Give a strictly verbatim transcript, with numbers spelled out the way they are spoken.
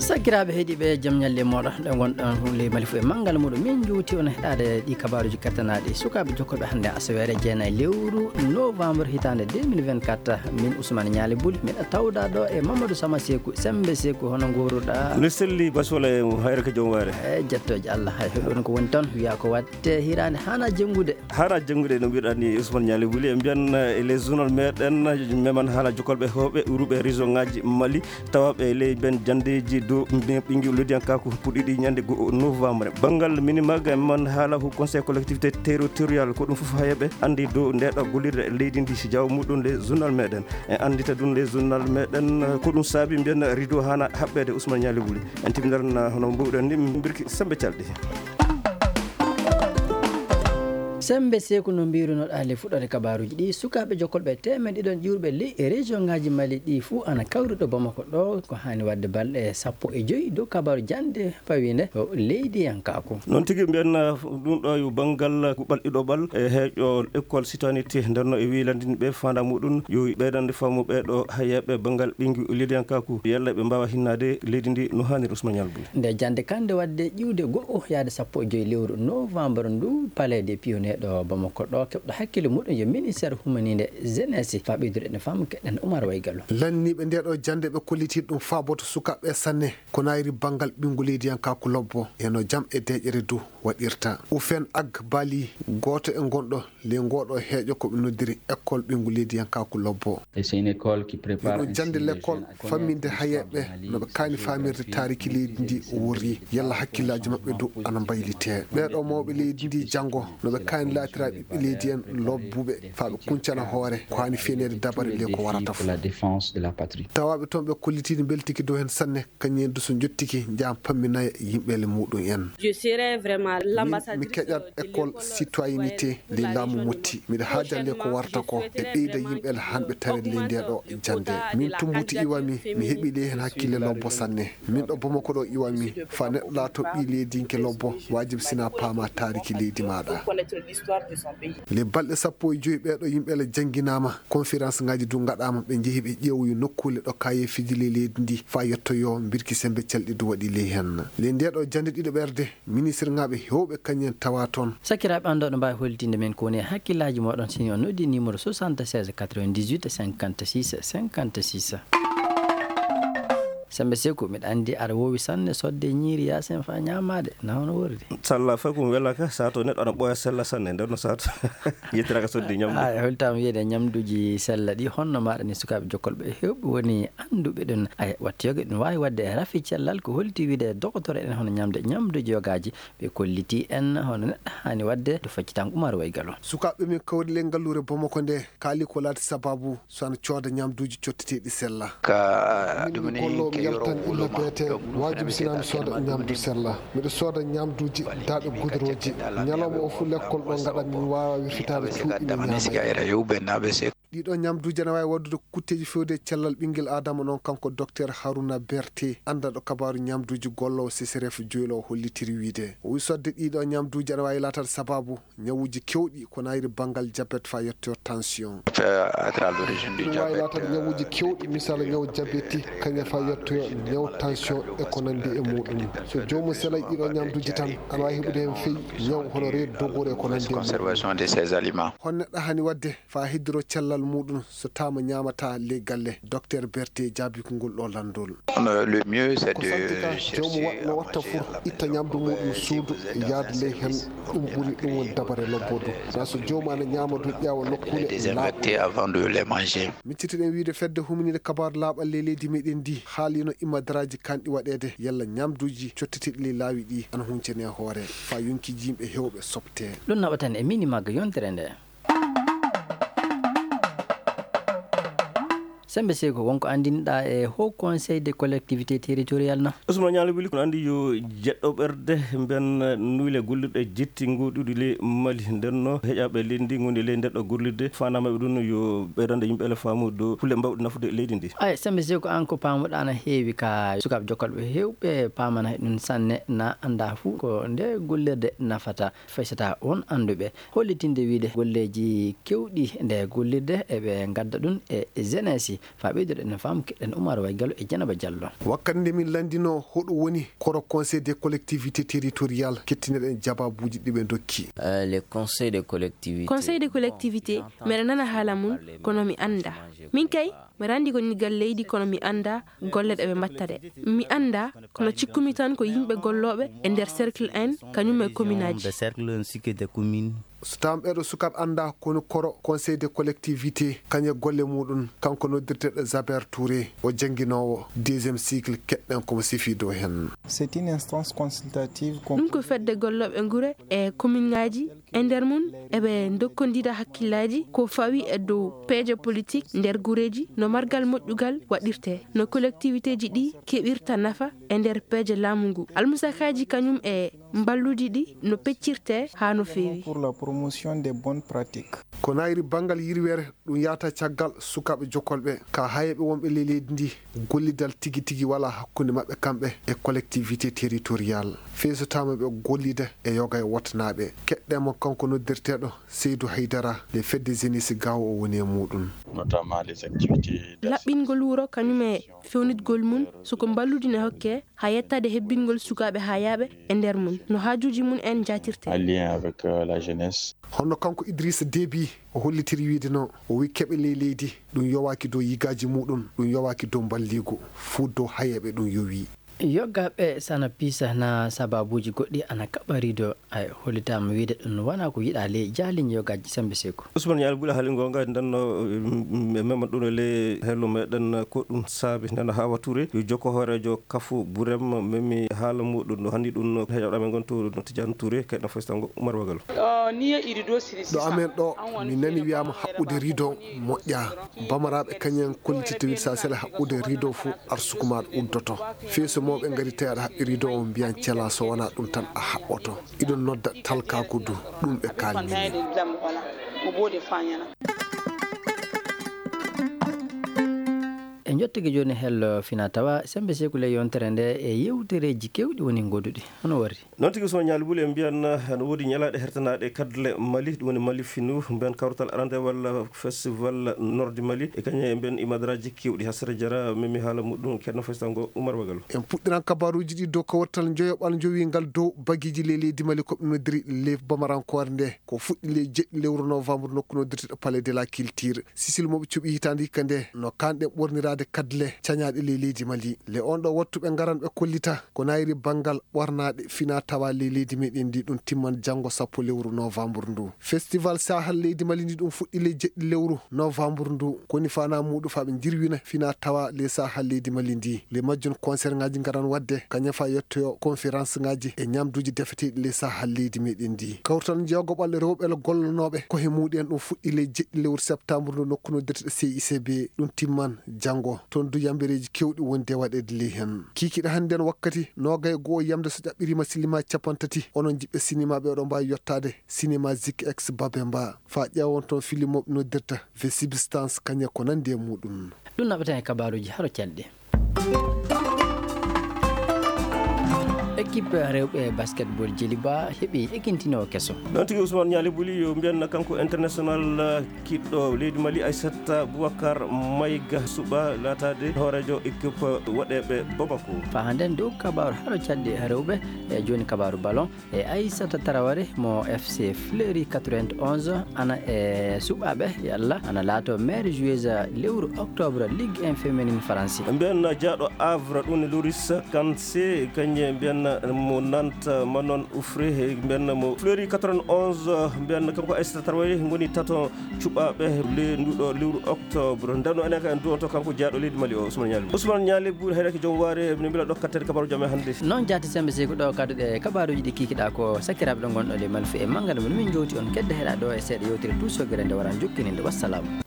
Sakiraaɓe heɗiiɓe, jam ñalle mooɗon, ɗo ngonɗon ley Mali fof e manngal muɗum. Min njuuti on heɗaade ɗi kabaaruuji kertanaaɗi sukaaɓe jokkorɓe hannde asaweere jeenayi lewru novembre hitaande deux mille vingt-quatre. Min Ousmane Ñaali Buli, miɗa tawda ɗo e Mamadou Sama Seeku, Semmbe Seeku, hono nguuruɗaa? Ne selli Basola e Hayre ka Joom Wayre. E jettooje Allah, hay hoɗon ko woni toon, wiyaa ko waɗte hiraande haana jenngude. Haana jenngude no mbiɗa ni Ousmane Ñaali Buli, e mbiyan, eh, e les journal meɗen, meman haala jokolɓe heewɓe uruɓe région ngaji Mali, tawaɓe e ley ben jandeji dow mbi-, ɓingi lodiyankaku puɗɗiɗi ñande go novembre. Banngal minimag, meman haala ko conseil collectivité territorial, ko ɗum fof hayeɓe andi dow ndeɗo gollirde leydi ndi si jawo muɗum les journal meɗen. En andita ɗum les journal meɗen, eh, ko ɗum saabi mbiyan rideau haana haɓɓede Ousmane Ñaali Buli. En timminan hono mbuɗen ni mbirki sembe calɗi. Semmbe Seeku, no mbirunoɗaa le fuɗɗoode kabaaruuji ɗi, sukaaɓe jokkolɓe teemeɗɗe ɗiɗon ƴuurɓe ley e région ngaji Mali ɗi fuu ana kawri ɗo Bamako ɗo, ko haani waɗde balɗe sappo e joy dow kabaaru jannde fawinde ko leydiyankaaku. Noon tigi mbiyan, uh, ɗum ɗo yo banngal kuɓal ɗiɗoɓal e heeƴo école citoyenneté ndenno e wilandin ɓe fanda muɗum yo ɓeydande faamu ɓe ɗo hayeɓe banngal ɓingi leydiyankaaku yalla ɓe mbawa hinnaade leydi ndi no haaniri Ousmane Ñaali Buli. Nde jannde kande waɗde ƴiwde go'o yaade sappo e joy lewru novembre ndu, Palais des Pionniers ɗo Bamako ɗo, keɓɗo hakkille muɗum yo ministère humaninde jeunesse. Fa ɓeydude ene faamu keɗen Oumar Waygallo. Lanniiɓe nde ɗo jannde ɓe kolliti ɗum faaboto sukaaɓe sanne, ko nayri banngal ɓinngu leydiyankaaku lobbo, e no jam e deeƴere du waɗirta. Ufen Ag Bali, gooto e gonɗo ley ngooɗo heeƴo ko ɓe noddiri école ɓinngu leydiyankaaku lobbo. Et c'est une école qui prépare Miɗo jannde l'école famminde hayeɓe no ɓe kaani faamirde taariki leydi ndi o worri, yalla hakkillaaji maɓɓe du ana mbaylitee. Ɓeeɗo mawɓe leydi ndi janngo no ɓe kaani laatira ɓiɓɓe leydi en lobbuɓe, faa ɓe kuncana hoore ko haani feeneede dabare ley ko warata fof. La défense de la patrie. Tawaaɓe toon ɓe kollitiino mbeltiki dow heen sanne, kañum en du so njottiki njaha pamminaya yimɓeele muɗum en. Je serai vraiment Min, mi l'ambassadrice keƴat de école l'école citoyenneté citoyenne ley laamu Motti. Miɗo haajande ko warta ko e ɓeyda yimɓeele hanɓe tare ley nde ɗo jannde. Min Tumbuti iwami, mi heɓi ley heen hakkille lobbo sanne. Min ɗo Bamako ɗo iwami, faa neɗɗo laato ɓii leydiyanke lobbo, waajib sina paama taariki leydi maaɗa. Ley balɗe sappo e joy ɓeeɗo yimɓeele jannginaama, conférence ngaji du ngaɗaama, ɓe njehi ɓe ƴeewoyi nokkuule ɗo kayeefiiji ley leydi ndi, faa yettoyo mbirki sembe calɗi du waɗi ley heen. Ley nde ɗo jannde ɗiɗo ɓerde, ministre ŋaaɓe heewɓe kañum en tawa toon. Sakiraaɓe, an ɗo no mbaawi hollitinde men ko woni e hakkillaaji mooɗon, si on noddi numéro soixante-seize quatre-vingt-dix-huit cinquante-six cinquante-six. Semmbe Seeku, miɗa anndi aɗa woowi sanne sodde ñiiri yaasin faa ñaamaade, na hono worri? Salla fay ko mi welaka, saa to neɗɗo ana ɓooya sella sanne, nden no saa to yettiraka sodde ñamdu. Ay, holtaama wiyeede ñamduuji sella ɗi, honno maaɗa ni sukaaɓe jokkolɓe heewɓe woni annduɓe ɗum? Ay, wattu yoga ɗum waawi waɗde e rafi cellal, ko holti wiide e dogotoro en hono ñamde ñamduuji yogaaji, ɓe kolliti en hono neɗɗo haani waɗde to faccitango Umaru Waygalo. Sukaaɓe min kawri ley ngalluure Bamako nde, kaali ko laati sabaabu so ana cooda ñamduuji cotteteeɗi sella. Ka Min mi ɗum ni golloowo, mi ke yoro yaltan illa wuuluma, beete, ɗo ɓuri waajum fena sina mi sooda ñamdu sella. Miɗo sooda ñamduuji daaɗe gudurooji. Ñalawma o fof lekkol ɗo ngaɗa min waawa wirfitaade cuuɗi mi ñaama. Ɗiɗo ñamduuji ana waawi waɗdude kutteeji feewde e cellal ɓinngel aadama noon, kanko Docteur Haruna Berté, anndanɗo kabaaru ñamduuji, golloowo C C R F Joyla o hollitiri wiyde. O wi sodde ɗiɗo ñamduuji ana waawi laataade sabaabu ñawuuji keewɗi ko nayri banngal jabet faa yettoyo tension. Ɗum waawi laataade ñawuuji keewɗi, misal ñaw jabeti, kañum faa yettoyo ñaw tension e ko nanndi e muuɗum. So joomum selay ɗiɗo ñamduuji tan, ana waawi heɓude heen feyi ñaw hono reedu dogoru e ko nanndi e muuɗum. Hol neɗɗo haani waɗde faa heddoro cellal muuɗum so taama ñaamataa ley galle? Docteur Berté jaabii ko ngol ɗo lanndol. Le mieux, c'est de chercher à manger à la maison, dans un espace calme, de les désinfecter avant de les manger. Miccitiɗen wiyde fedde huminiinde kabaaru laaɓal ley leydi meɗen ndi haalino imadaraaji kanɗi waɗeede yalla ñamduuji cotteteeɗi ley laawi ɗi ana huncane hoore faa yonkiiji yimɓe heewɓe soɓte. Ɗum naɓatan e mini magga yontere nde. Semmbe Seeku, wonko anndinɗaa e Haut Conseil des collectivités territoriales na? Ousmane Ñaali Buli, kono anndi yo jeɗɗo ɓerde mben nuyle gollirɗe jetti ngoɗuɗi ley Mali. Nden no heƴaɓe leydi ndi ngondi ley ndeɗɗo gollirde, faandaama ɓe ɗum yo ɓeydande yimɓe ele faamu dow kulle mbawɗe nafude leydi ndi. Ay, Semmbe Seeku, an ko paamuɗaa na heewi ka sukaaɓe jokkolɓe heewɓe paamana e ɗum sanne, na annda fuu ko nde gollirde nafata. Faysata on annduɓe hollitinde wiyde golleeji keewɗi nde gollirde eɓe ngadda ɗum e jeunesse. Faa ɓeydoɗen no faamu, keɗen Umar Waygalo e Janaba Jallo. Wakkati nde min lanndinoo hoɗo woni koro Conseil des collectivités territoriales, kettinoɗen jabaabuuji ɗi ɓe ndokki. Euh, le Conseil des collectivités. Conseil des collectivités, meɗa nana haala mum, kono mi annda. Min kay, mi randi ko ngal leydi, kono mi annda golle ɗe ɓe mbatta ɗe. Mi annda, kono cikkumi tan ko yimɓe gollooɓe e nder cercle en, kañum e commune aji. Des cercles ainsi que des communes. So taam ɓeeɗo sukaaɓe annda ko woni koro Conseil des collectivités, kañum e golle muɗum, kanko noddirteeɗo Jaber Touré, o jannginoowo deuxième cycle, keɗɗen ko mo sifii dow heen. C'est une instance consultative. Ɗum ko fedde gollooɓe ngure e commune ngaji, e nder mum eɓe ndokkondira hakkillaaji ko fawi e dow peeje politique nder gureeji, no margal moƴƴugal waɗirte, no collectivité ji ɗi keɓirta nafa e nder peeje laamu ngu. Almusakaaji kañum e mballuɗi ɗi no peccirte haa no feewi. Pour la promotion des bonnes pratiques. Ko nayri banngal yirweere, ɗum yahata caggal sukaaɓe jokolɓe ka hayeeɓe wonɓe ley leydi ndi, gollidal tigi tigi wala hakkunde maɓɓe kamɓe e collectivité territoriale. Fey so taama ɓe gollida e yoga e wotnaaɓe. Keɗɗen mo kanko noddirteeɗo Seydou Haydara, le fedde jeunesse gawo o woni e muɗum. Notamment les activités. Laɓɓingol wuro kañum e fewnitgol mum, soko mballuɗi ne hokke, haa yettaade hebbingol sukaaɓe hayaaɓe e nder mum, no haajuuji mum en njaatirte. En lien avec, euh, la jeunesse. Hono kanko Idrissa Déby o hollitiri wiide no, o wi keɓe ley leydi, ɗum yowaaki dow yigaaji muɗum, ɗum yowaaki dow mballiigu, fuu dow hayeeɓe ɗum yowi. Yoggaaɓe sana piisa na sababuuji goɗɗi ana kaɓa riido, ay, hollitaama wiide ɗum wonaa ko yiɗaa ley jaaliñ yoggaaji Sembe Seeku. Ousmane Ñaali Buli haali goonga, nden no, mm, mm, memma ɗum e ley hello meɗen, ko ɗum saabi nden Hawa Touré, yo jokko hooreejo Kafu Burem, memmi haala muɗum no hanndi ɗum no heɗoɗo amen ngon to no Tidiane Touré, kay no faysango Umar Wagal. Ɗo amen ɗo, mi nani wiyaama haɓɓude riido moƴƴa. Bamaraaɓe kañum en kollititta wiide so a sela haɓɓude riido fof, arsuku maaɗa uddoto. Fii so mawɓe ngari tawi aɗa haɓɓi riido o, mbiyan cela, so wonaa ɗum tan a haɓɓoto. Iɗon nodda talkaaku du, ɗum ɓe kaalnii. E njottigi jooni hello fina tawa Sembe Seeku ley yontere nde e yewtereeji keewɗi woni ngoduɗi. Hono warri? Noon tigi, Ousmane Ñaali Buli, en mbiyan, eh, no woodi ñalaaɗe hertanaaɗe kadle Mali, ɗum woni Mali Finu, mbiyan kawrital arandewal festival Nord Mali, e kañum e mbiyan imadaraaji keewɗi. Hasara Jara memi haala muɗum, Ceerno Faysango Umar Wagal. En puɗɗiran kabaruuji ɗi dow kawrital njoyoɓal njowiingal dow bagiiji ley leydi Mali, ko ɓe noddiri le bamarankoore nde, ko fuɗɗi ley jeɗɗi lewru novembre nokku noddirteɗo Palais de la Culture. Sisil mo ɓe cuɓi hitaande hikka nde, no kaanɗen ɓorniraade kadle cañaaɗe ley leydi Mali. Le on ɗo wattu ɓe ngaran ɓe kollita ko nayri banngal ɓornaaɗe fina tawa ley leydi meɗen ndi, ɗum timman janngo sappo lewru novembre ndu. Festival Sahel leydi Mali ndi ɗum fuɗɗi ley jeɗɗi lewru novembre ndu. Koni fana muɗum fa ɓe jirwina fina tawa ley Sahel leydi Mali ndi. Le majjum concert ngaji ngaran wadde, kañum fa yettoyo conférence ngaji e ñamduji defeteɗi ley Sahel leydi meɗen ndi. Kawtal jeegoɓal rewɓe gollanoɓe ko he muɗum ɗum fuɗɗi ley jeɗɗi lewru septembre ndu nokku noddirteɗo C I C B. Ɗum timman janngo. Toon du yambereeji keewɗi wondi e waɗeede ley heen. Kiikiiɗe hannde on wakkati noogay e go'o yamde so ƴaɓɓiriima silima capanɗe tati. Onon jiɓɓe sinima ɓe oɗon mbaawi yottaade sinima Zik X Babemba. Faa ƴeewon toon filim mo ɓe noddirta The Substance kañum e ko nanndi e muɗum. Ɗum naɓeten e kabaaruuji haro calɗi. Équipe rewɓe basketball Jeliba heɓi ekintinoowo keso. Noon tigi Ousmane Ñaali Buli, yo mbiyan kanko international, uh, kiɗɗo leydi Mali Aissata Boubacar Maïga suɓa laataade hooreejo équipe waɗeeɓe Bamako. Faa hannden dow kabaaru haro calɗi rewɓe e jooni kabaaru ballon. E Aissata Traoré mo F C Fleury quatre-vingt-onze ana e suɓaaɓe, yalla ana laato meilleure joueuse lewru octobre Ligue un féminine Faransi. Mbiyan jaaɗo Havre ɗum ne Loris Kanse, kañum mbiyan mo Nantes Manon Ouffré, mbiyan mo Fleury quatre-vingt-onze, mbiyan kanko Aissata Traoré ngoni tato cuɓaaɓe le nduɗo lewru octobre. Ndano enen ka en duwonto kanko jaaɗo leydi Mali o, Ousmane Ñaali. Ousmane Ñaali Buli, hayraki joom waare, min mbila ɗo katteede kabaaruuji amen hannde. Noon jaati Sembe Seeku ɗo kadduɗe kabaaruuji ɗi kiikiɗaa ko sakiraaɓe ɗo ngonɗo le Malfu e manngal mo min njowti on kedde heɗa ɗo e seeɗa yewtere tuusogere nde waran jokkininde. Wassalaamu.